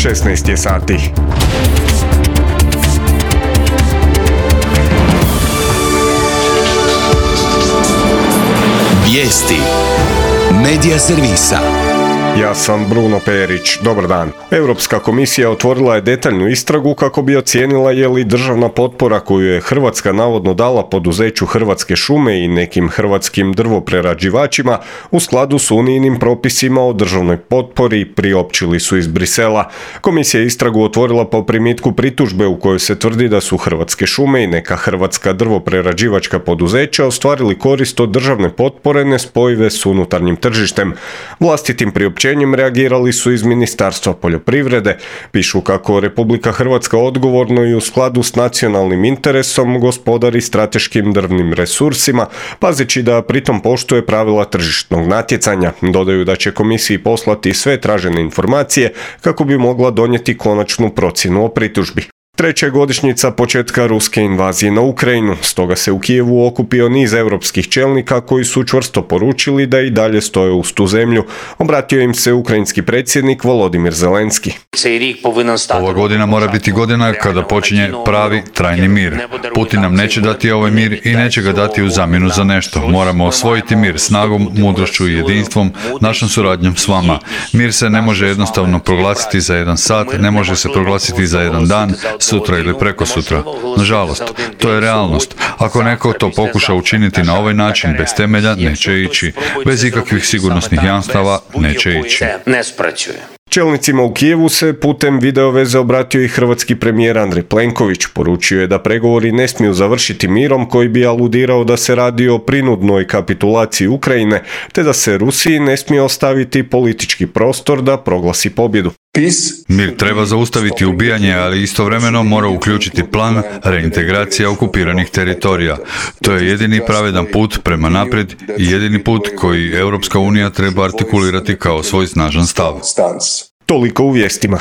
16 je sati. Vijesti Medija servisa. Ja sam Bruno Perić. Dobar dan. Europska komisija otvorila je detaljnu istragu kako bi ocijenila je li državna potpora koju je Hrvatska navodno dala poduzeću Hrvatske šume i nekim hrvatskim drvoprerađivačima u skladu s unijnim propisima o državnoj potpori, priopćili su iz Brisela. Komisija je istragu otvorila po primitku pritužbe u kojoj se tvrdi da su Hrvatske šume i neka hrvatska drvoprerađivačka poduzeća ostvarili korist od državne potpore nespojive s unutarnjim tržištem. Vlastitim priopćenjem reagirali su iz Ministarstva poljoprivrede. Pišu kako Republika Hrvatska odgovorno i u skladu s nacionalnim interesom gospodari strateškim drvnim resursima, pazeći da pritom poštuje pravila tržišnog natjecanja. Dodaju da će komisiji poslati sve tražene informacije kako bi mogla donijeti konačnu procjenu o pritužbi. Treća je godišnjica početka ruske invazije na Ukrajinu, stoga se u Kijevu okupio niz europskih čelnika koji su čvrsto poručili da i dalje stoje uz tu zemlju. Obratio im se ukrajinski predsjednik Volodimir Zelenski. Ova godina mora biti godina kada počinje pravi, trajni mir. Putin nam neće dati ovaj mir i neće ga dati u zamjenu za nešto. Moramo osvojiti mir snagom, mudrošću i jedinstvom, našom suradnjom s vama. Mir se ne može jednostavno proglasiti za jedan sat, ne može se proglasiti za jedan dan, sutra ili prekosutra. Nažalost, to je realnost. Ako neko to pokuša učiniti na ovaj način bez temelja, neće ići. Bez ikakvih sigurnosnih jamstava, neće ići. Čelnicima u Kijevu se putem videoveze obratio i hrvatski premijer Andrej Plenković. Poručio je da pregovori ne smiju završiti mirom koji bi aludirao da se radi o prinudnoj kapitulaciji Ukrajine, te da se Rusiji ne smije ostaviti politički prostor da proglasi pobjedu. Mir treba zaustaviti ubijanje, ali istovremeno mora uključiti plan reintegracije okupiranih teritorija. To je jedini pravedan put prema naprijed i jedini put koji Europska unija treba artikulirati kao svoj snažan stav. Toliko u vijestima.